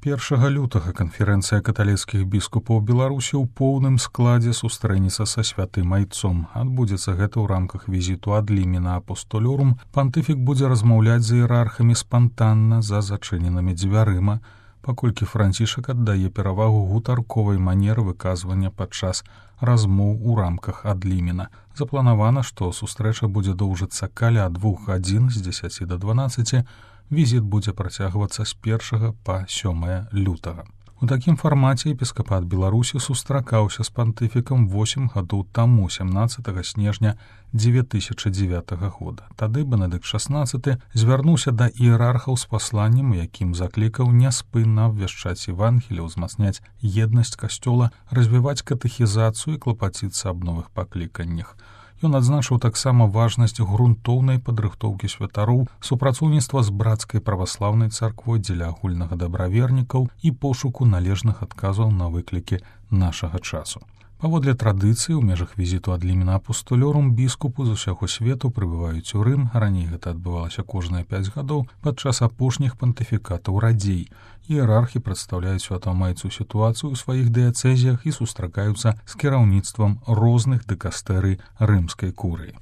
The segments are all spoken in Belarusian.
1 лютага канферэнцыя каталіцкіх біскупаў Беларусі ў поўным складзе сустрэнецца са святым айцом. Адбудзецца гэта ў рамках візіту ад Лімена апостолёрум. Пантыфік будзе размаўляць з іерархамі спантанна за зачыненымі дзвярыма, паколькі Францішак аддае перавагу гутарковай манеры выказвання падчас размоў у рамках ад Лімена. Запланавана, што сустрэча будзе доўжыцца каля 2 гадзін з 10 до 12. Візіт будзе працягвацца з 1 па 7 лютага. У такім фармаце епіскапат Беларусі сустракаўся з пантыфікам 8 гадоў таму, 17 снежня 2009 года. Тады Бенедыкт XVI звярнуўся да іерархаў з пасланнем, якім заклікаў няспынна абвяшчаць Евангелие, узмацняць еднасць касцёла, развіваць катэхізацыю і клапаціцца аб новых пакліканнях. Ён адзначыў таксама важнасць грунтоўнай падрыхтоўкі святароў, супрацоўніцтва з брацкай праваслаўнай царквой дзеля агульнага дабравернікаў і пошуку належных адказаў на выклікі нашага часу. Паводле традыцыі, у межах візіту ад Лімена апостолёрум біскупы з усяго свету прыбываюць у Рым. Раней гэта адбывалася кожныя 5 гадоў падчас апошніх пантыфікатаў радзей. Іерархі прадстаўляюць святому айцу сітуацыю ў сваіх дыяцэзіях і сустракаюцца з кіраўніцтвам розных дыкастэрый рымскай курыі.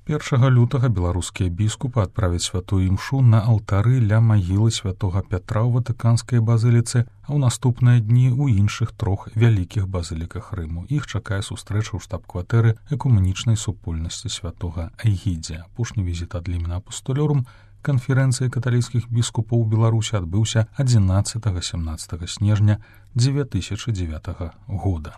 1 лютага беларускія біскупы адправяць святую імшу на алтары ля магілы святога Пятра ў Ватыканскай базыліцы, а ў наступныя дні ў іншых 3 вялікіх базыліках Рыму. Іх чакае сустрэча ў штаб-кватэры экумэнічнай супольнасці святога Эгідзія. Апошні візіт ад Лімена апостолёрум канферэнцыі каталіцкіх біскупаў Беларусі адбыўся 11-17 снежня 2009 года.